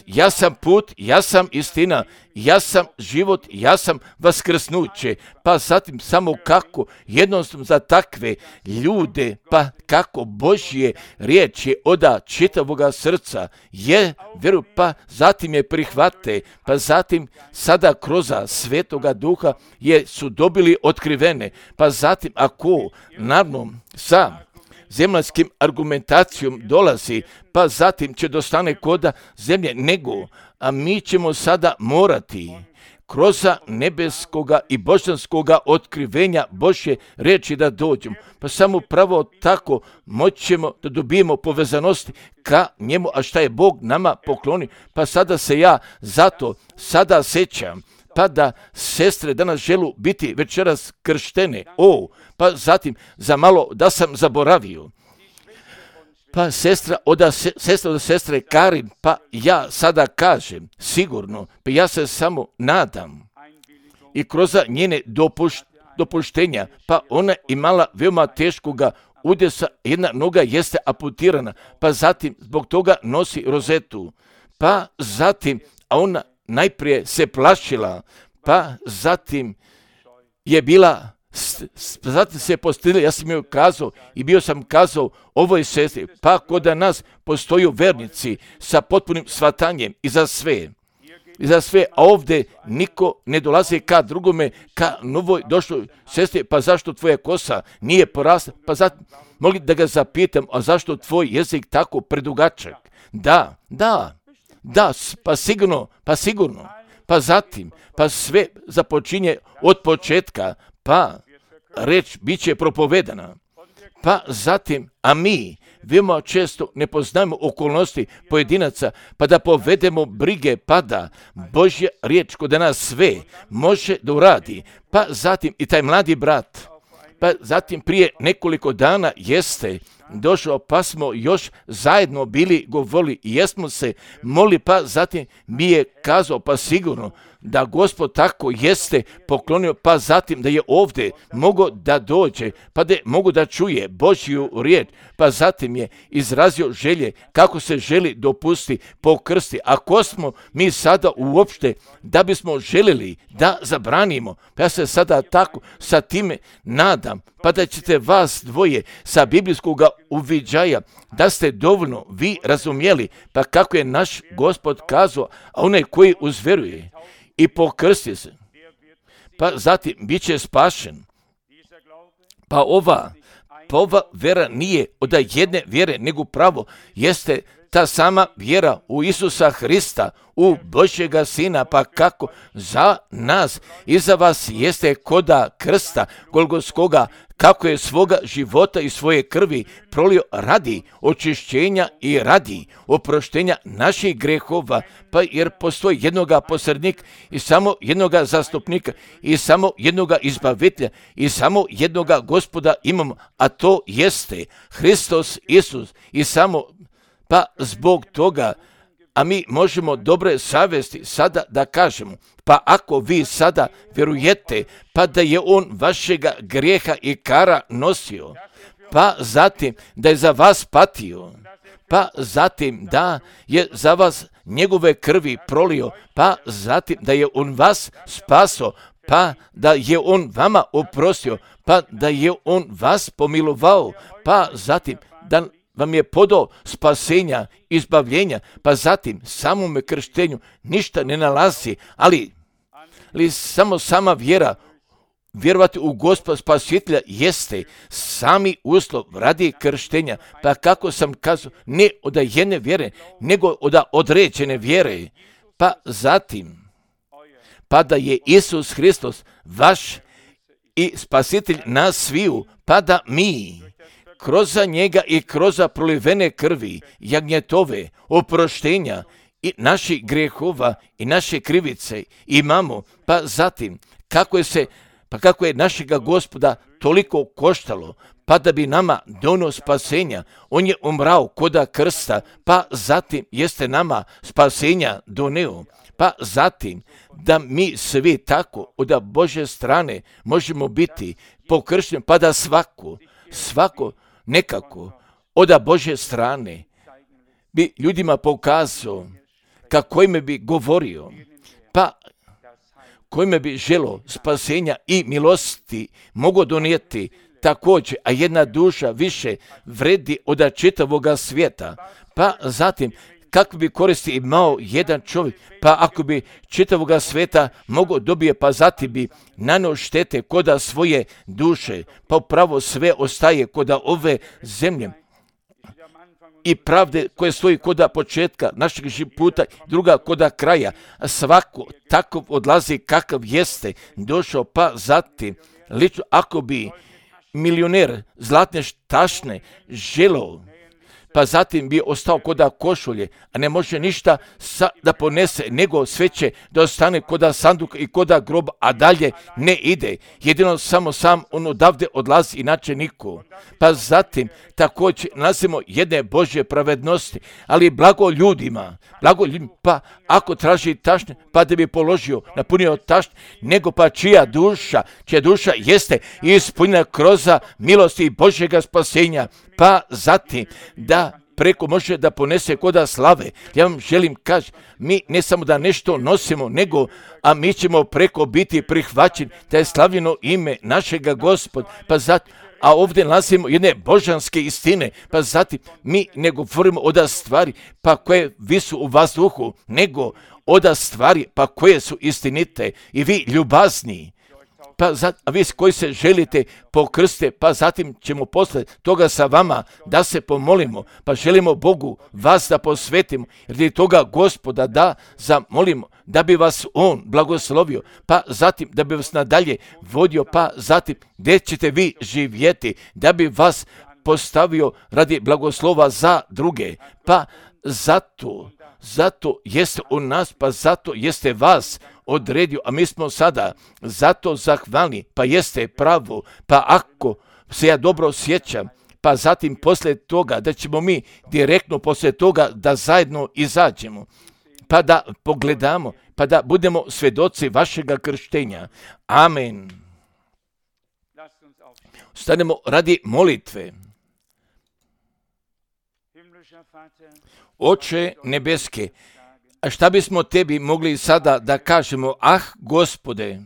ja sam put, ja sam istina, ja sam život, ja sam vaskrsnuće. Pa zatim samo kako jednostavno za takve ljude, pa kako Božje riječi oda čitavoga srca je vjeru, pa zatim je prihvate, pa zatim sada kroz Svetoga Duha su dobili otkrivene, pa zatim ako naravno sa zemaljskim argumentacijom dolazi, pa zatim će dostane koda zemlje nego, a mi ćemo sada morati kroz nebeskoga i božanskoga otkrivenja Božje riječi da dođemo. Pa samo pravo tako moćemo da dobijemo povezanosti ka njemu, a šta je Bog nama pokloni. Pa sada se ja zato sada sećam, pa da sestre danas želu biti večeras krštene. Pa zatim za malo da sam zaboravio. Pa sestra od sestre Karin, pa ja sada kažem sigurno, pa ja se samo nadam i kroz njene dopuštenja, pa ona imala veoma teškoga udesa, jedna noga jeste amputirana, pa zatim zbog toga nosi rozetu, pa zatim, a ona najprije se plašila, pa zatim je bila, zatim se postidila, ja sam joj kazao i bio sam kazao ovoj sestri, pa kod nas postoju vernici sa potpunim shvatanjem i za sve, a ovdje niko ne dolazi ka drugome, ka novoj došloj sestri, pa zašto tvoja kosa nije porasla, pa zatim mogli da ga zapitam, a zašto tvoj jezik tako predugačak? Da, pa sigurno, pa zatim, pa sve započinje od početka, pa reč bit će propovedana, pa zatim, a mi veoma često ne poznajemo okolnosti pojedinaca, pa da povedemo brige, pa da Božja riječ kod nas sve može da uradi, pa zatim i taj mladi brat, pa zatim prije nekoliko dana jeste došao, pa smo još zajedno bili govorili i jesmo se molili, pa zatim mi je kazao, pa sigurno da Gospod tako jeste poklonio, pa zatim da je ovdje mogao da dođe, pa da mogu da čuje Božju riječ, pa zatim je izrazio želje kako se želi dopustiti po krsti. Ako smo mi sada uopšte da bismo željeli da zabranimo, pa ja se sada tako sa time nadam, pa da ćete vas dvoje sa biblijskog uviđaja, da ste dovoljno vi razumjeli, pa kako je naš Gospod kazao, a onaj koji uzveruje i pokrsti se, pa zatim bit će spašen. Pa ova vera nije od jedne vjere, nego pravo jeste ta sama vjera u Isusa Hrista, u Božjega Sina, pa kako za nas i za vas jeste koda krsta Golgotskoga, kako je svoga života i svoje krvi prolio radi očišćenja i radi oproštenja naših grehova, pa jer postoji jednoga posrednika i samo jednoga zastupnika i samo jednoga izbavitelja i samo jednoga Gospoda imamo, a to jeste Hristos Isus i samo pa zbog toga, a mi možemo dobre savjesti sada da kažemo, pa ako vi sada vjerujete, pa da je on vašega grijeha i kara nosio, pa zatim da je za vas patio, pa zatim da je za vas njegove krvi prolio, pa zatim da je on vas spaso, pa da je on vama oprostio, pa da je on vas pomilovao, pa zatim da vam je podao spasenja, izbavljenja, pa zatim samome krštenju ništa ne nalazi, ali samo sama vjera, vjerovati u Gospoda Spasitelja jeste sami uslov radi krštenja, pa kako sam kazao, ne od jedne vjere, nego od određene vjere, pa zatim, pa da je Isus Hristos vaš i Spasitelj nas sviju, pa da mi kroz njega i kroz prolivene krvi, jagnjetove, oproštenja i naših grehova i naše krivice imamo, pa zatim kako je našega Gospoda toliko koštalo, pa da bi nama donio spasenja, on je umrao koda krsta, pa zatim jeste nama spasenja doneo, pa zatim da mi svi tako od Božje strane možemo biti pokršteni, pa da svako nekako od Božje strane bi ljudima pokazao kojime bi govorio, pa kojime bi želo spasenja i milosti mogu donijeti također, a jedna duša više vredi od čitavoga svijeta, pa zatim kakve bi koristi imao jedan čovjek, pa ako bi čitavoga svijeta mogao dobije, pa zatim bi nanio štete koda svoje duše, pa upravo sve ostaje koda ove zemlje. i pravde koje stoji koda početka našeg puta, druga koda kraja. Svako tako odlazi kakav jeste došao, pa zatim, lično ako bi milioner zlatne tašne želeo, pa zatim bi ostao koda košulje, a ne može ništa da ponese, nego sve će da ostane koda sanduka i koda groba, a dalje ne ide. Jedino samo sam on odavde odlazi, inače niko. Pa zatim također nalazimo jedne Božje pravednosti, ali blago ljudima, pa ako traži tašne, pa da bi položio, napunio tašne, nego pa čija duša jeste ispunjena kroz milosti Božjega spasenja, pa zatim da preko može da ponese koda slave. Ja vam želim kaži, mi ne samo da nešto nosimo, nego, a mi ćemo preko biti prihvaćeni, da je slavljeno ime našega Gospoda, pa zatim, a ovdje nalazimo jedne božanske istine, pa zatim mi ne govorimo oda stvari, pa koje visu u vazduhu, nego oda stvari, pa koje su istinite i vi ljubazni. Pa a vi koji se želite pokrste, pa zatim ćemo posle toga sa vama da se pomolimo, pa želimo Bogu vas da posvetimo, jer toga Gospoda da zamolimo, da bi vas On blagoslovio, pa zatim da bi vas nadalje vodio, pa zatim gdje ćete vi živjeti, da bi vas postavio radi blagoslova za druge, pa zato jeste u nas, pa zato jeste vas odredio, a mi smo sada zato zahvalni, pa jeste pravo, pa ako se ja dobro sjećam, pa zatim poslije toga da ćemo mi direktno poslije toga da zajedno izađemo, pa da pogledamo, pa da budemo svjedoci vašega krštenja. Amen. Stanemo radi molitve. Oče nebeske, a šta bismo tebi mogli sada da kažemo? Gospode,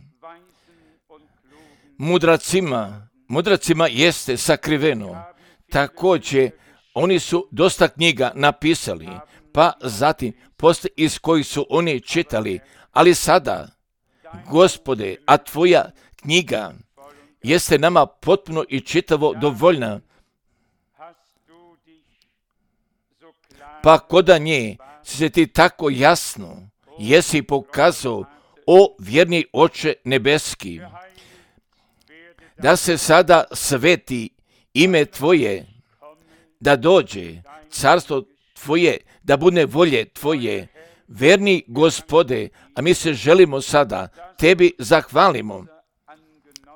mudracima jeste sakriveno. Također, oni su dosta knjiga napisali, pa zatim poslije iz kojih su oni čitali, ali sada, Gospode, a tvoja knjiga jeste nama potpuno i čitavo dovoljna, pa koda nje se ti tako jasno jesi pokazao, o vjerni Oče nebeski, da se sada sveti ime Tvoje, da dođe carstvo Tvoje, da bude volje Tvoje, verni Gospode, a mi se želimo sada Tebi zahvalimo,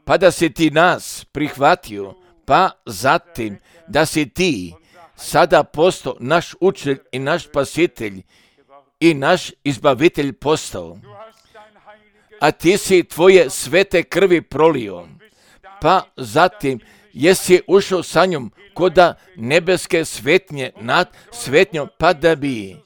pa da si Ti nas prihvatio, pa zatim da si Ti sada postao naš učitelj i naš spasitelj i naš izbavitelj postao. A Ti si Tvoje svete krvi prolio, pa zatim jesi ušao sa njom koda nebeske svetnje nad svetnjom, pa da bi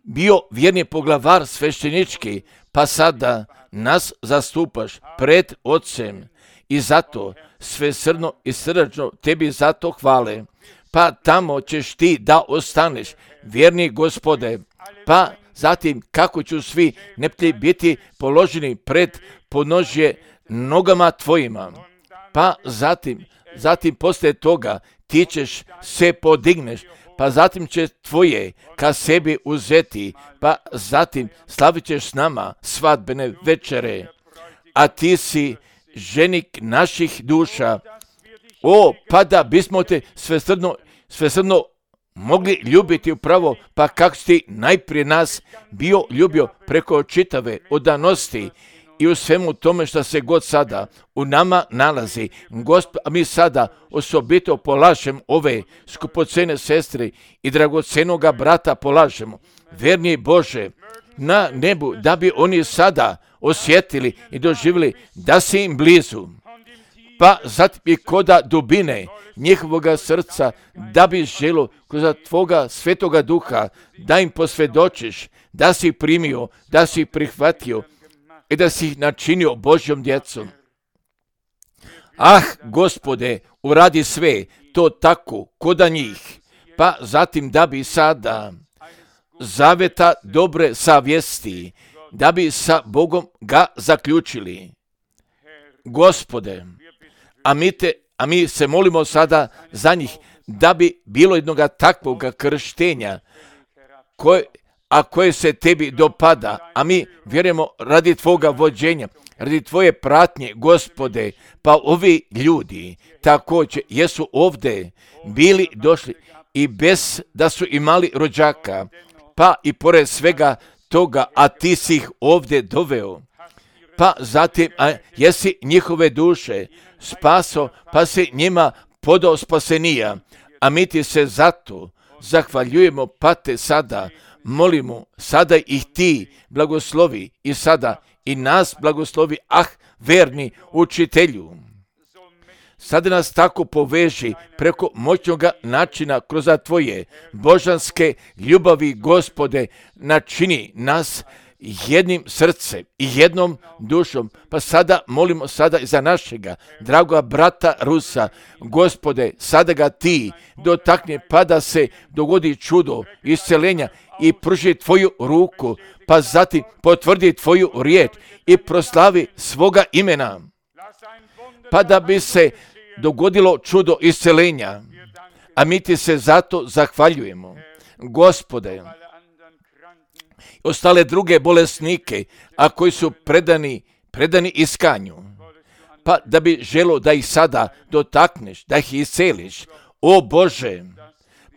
bio vjerni poglavar sveštenički, pa sada nas zastupaš pred Otcem i zato svesrdno i srdačno Tebi zato hvale. Pa tamo ćeš Ti da ostaneš, vjerni Gospode, pa zatim kako ću svi neprijatelji biti položeni pred podnožje nogama Tvojima, pa zatim poslije toga Ti ćeš se podigneš, pa zatim će Tvoje ka sebi uzeti, pa zatim slavit ćeš s nama svadbene večere, a Ti si ženik naših duša. Pa da bismo Te svesrdno mogli ljubiti upravo, pa kako si Ti najprije nas bio ljubio preko čitave odanosti i u svemu tome što se god sada u nama nalazi. A mi sada osobito polažemo ove skupocene sestre i dragocenoga brata polažemo. Verni Bože, na nebu, da bi oni sada osjetili i doživjeli da si im blizu. Pa zatim i koda dubine njihovoga srca, da bi želo kroz Tvoga svetoga duha da im posvjedočiš da si primio, da si prihvatio i da si ih načinio Božjom djecom. Gospode, uradi sve to tako koda njih, pa zatim da bi sada zaveta dobre savjesti, da bi sa Bogom ga zaključili. Gospode, a mi se molimo sada za njih, da bi bilo jednoga takvoga krštenja koje se tebi dopada, a mi vjerujemo radi tvoga vođenja, radi tvoje pratnje, Gospode, pa ovi ljudi također jesu ovdje bili došli i bez da su imali rođaka, pa i pored svega toga, a ti si ih ovdje doveo, pa zatim jesi njihove duše spaso, pa si njima podao spasenija, a mi ti se zato zahvaljujemo, pa te sada molimo, sada ih ti blagoslovi i sada i nas blagoslovi, verni učitelju. Sada nas tako poveži preko moćnoga načina kroz tvoje božanske ljubavi, Gospode, načini nas jednim srcem i jednom dušom. Pa sada molimo sada i za našega dragoga brata Rusa, Gospode, sada ga ti dotakni, pa da se dogodi čudo isceljenja i pruži tvoju ruku, pa zatim potvrdi tvoju riječ i proslavi svoga imena, pa da bi se dogodilo čudo isceljenja. A mi ti se zato zahvaljujemo, Gospode. Ostale druge bolesnike, a koji su predani iskanju, pa da bi želo da ih sada dotakneš, da ih isceliš, o Bože,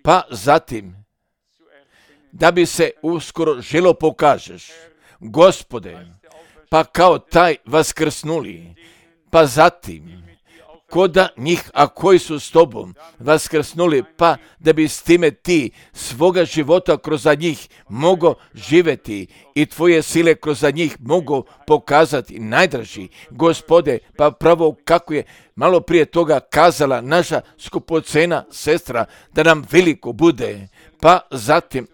pa zatim da bi se uskoro želo pokažeš, Gospode, pa kao taj vaskrsnuli, pa zatim koda njih, a koji su s tobom vaskrsnuli, pa da bi s time ti svoga života kroz njih mogo živjeti i tvoje sile kroz njih mogo pokazati. Najdraži, Gospode, pa pravo kako je malo prije toga kazala naša skupocena sestra, da nam veliko bude, pa zatim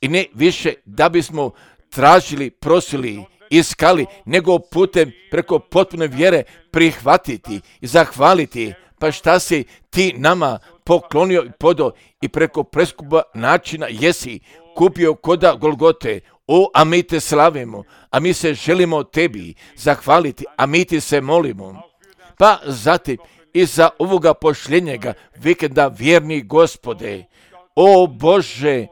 i ne više da bismo tražili, prosili, iskali, nego putem preko potpune vjere prihvatiti i zahvaliti, pa šta si ti nama poklonio i podao i preko preskupa načina jesi kupio koda Golgote. A mi te slavimo, a mi se želimo tebi zahvaliti, a mi ti se molimo. Pa zatim i za ovoga pošljenjega vikenda, vjerni Gospode, o Bože,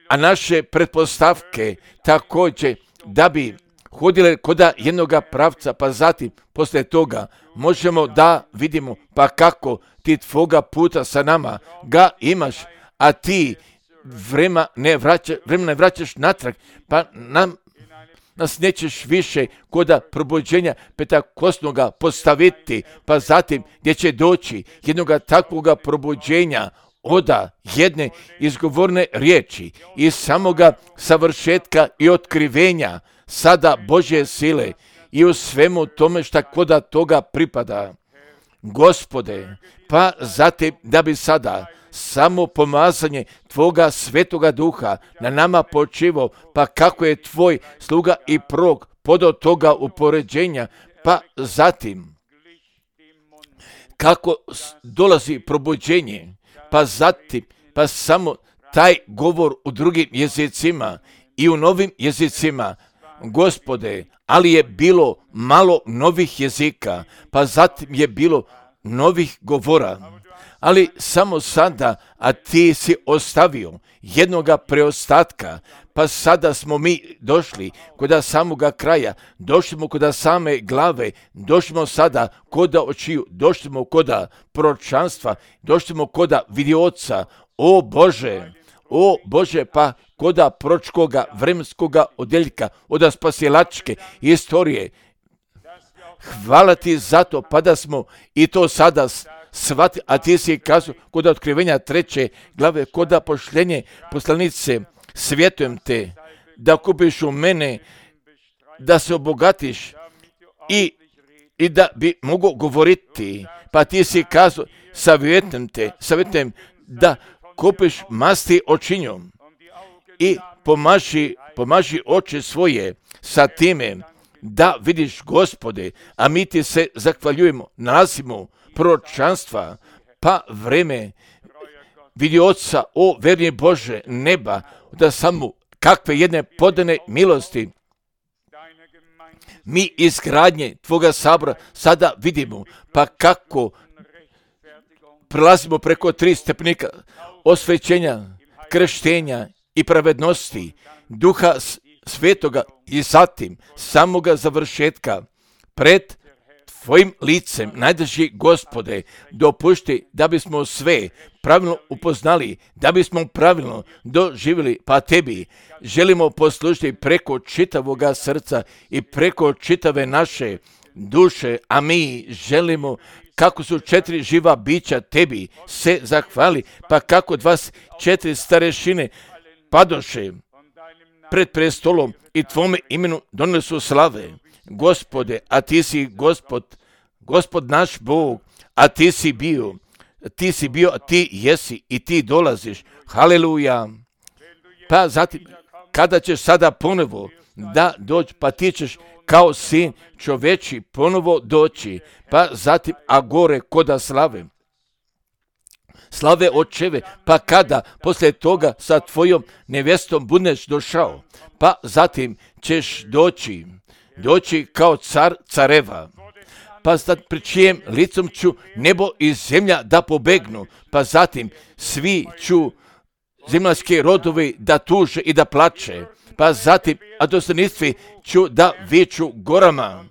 a naše pretpostavke također da bi hodile koda jednoga pravca, pa zatim poslije toga možemo da vidimo pa kako ti tvoga puta sa nama ga imaš, a ti vremena ne vraćaš natrag, pa nas nećeš više koda probuđenja Pentakostnoga postaviti, pa zatim gdje će doći jednoga takvoga probuđenja oda jedne izgovorne riječi i samoga savršetka i otkrivenja sada Božje sile i u svemu tome šta koda toga pripada. Gospode, pa zatim da bi sada samo pomazanje tvoga svetoga duha na nama počivo, pa kako je tvoj sluga i prorok podao toga upoređenja, pa zatim kako dolazi probuđenje, pa zatim pa samo taj govor u drugim jezicima i u novim jezicima, Gospode, ali je bilo malo novih jezika, pa zatim je bilo novih govora, ali samo sada, a ti si ostavio jednoga preostatka, pa sada smo mi došli kod samoga kraja, došli smo kod same glave, došli smo sada kod očiju, došli smo kod proročanstva, došli smo kod vidioca, o Bože, pa koda proročkoga vremenskoga odjeljka, od spasilačke istorije. Hvala ti za to, pa da smo i to sada shvatili, a ti si kazao kod otkrivenja 3. glave, kod pošljenje poslanice, svjetujem te da kupiš u mene, da se obogatiš i da bi mogo govoriti, pa ti si kazao, savjetujem da kupiš masti očinjom i pomaži oči svoje sa time da vidiš, Gospode, a mi ti se zahvaljujemo, nalazimo proročanstva, pa vreme vidi oca, o verni Bože neba, da samo kakve jedne podane milosti mi izgradnje tvoga sabora sada vidimo, pa kako prelazimo preko 3 stepenika osvećenja, krštenja i pravednosti Duha Svetoga i zatim samoga završetka pred Tvojim licem, najdrži Gospode, dopušti da bismo sve pravilno upoznali, da bismo pravilno doživjeli, pa Tebi želimo poslužiti preko čitavoga srca i preko čitave naše duše, a mi želimo kako su 4 živa bića Tebi se zahvali, pa kako 24 starešine padoše pred prestolom i Tvome imenu donesu slave. Gospode, a Ti si Gospod naš Bog, a Ti si bio, a Ti jesi i Ti dolaziš. Haleluja. Pa zatim, kada ćeš sada ponovo da doći, pa Ti ćeš kao sin čoveči ponovo doći, pa zatim, a gore koda slave očeve, pa kada poslije toga sa Tvojom nevjestom budeš došao, pa zatim ćeš doći kao car careva, pa pred čijem licom ću nebo i zemlja da pobegnu, pa zatim svi ću zemaljske rodovi da tuže i da plače, pa zatim a dostojanstvi ću da viču gorama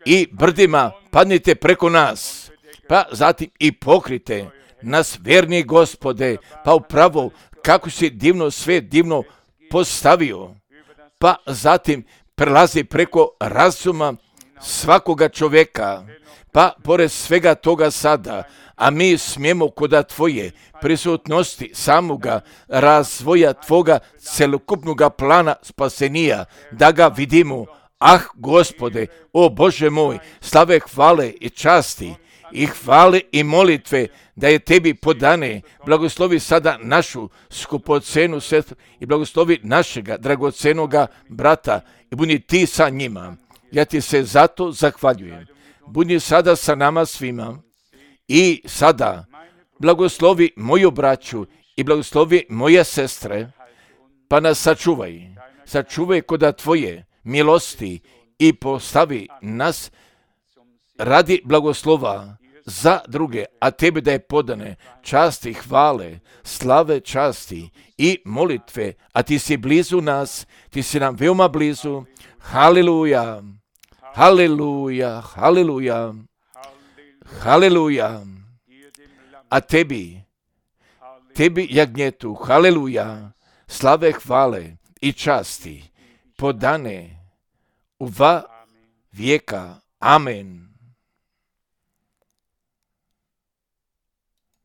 i brdima, padnite preko nas, pa zatim i pokrite nas, verni Gospode, pa upravo kako si sve divno postavio, pa zatim prelazi preko razuma svakoga čovjeka, pa pored svega toga sada, a mi smijemo koda Tvoje prisutnosti samoga razvoja Tvoga celokupnoga plana spasenija, da ga vidimo. Ah, Gospode, o Bože moj, slave, hvale i časti i hvale i molitve da je Tebi podane. Blagoslovi sada našu skupocenu sestru i blagoslovi našega dragocenoga brata i budi Ti sa njima. Ja Ti se zato zahvaljujem. Budi sada sa nama svima i sada blagoslovi moju braću i blagoslovi moje sestre, pa nas sačuvaj koda Tvoje milosti i postavi nas radi blagoslova za druge, a Tebi da je podane časti, hvale, slave, časti i molitve, a Ti si blizu nas, Ti si nam veoma blizu. Haleluja, haleluja, haleluja, haleluja, a Tebi jagnjetu, haleluja, slave, hvale i časti podane u va vijeka. Amen.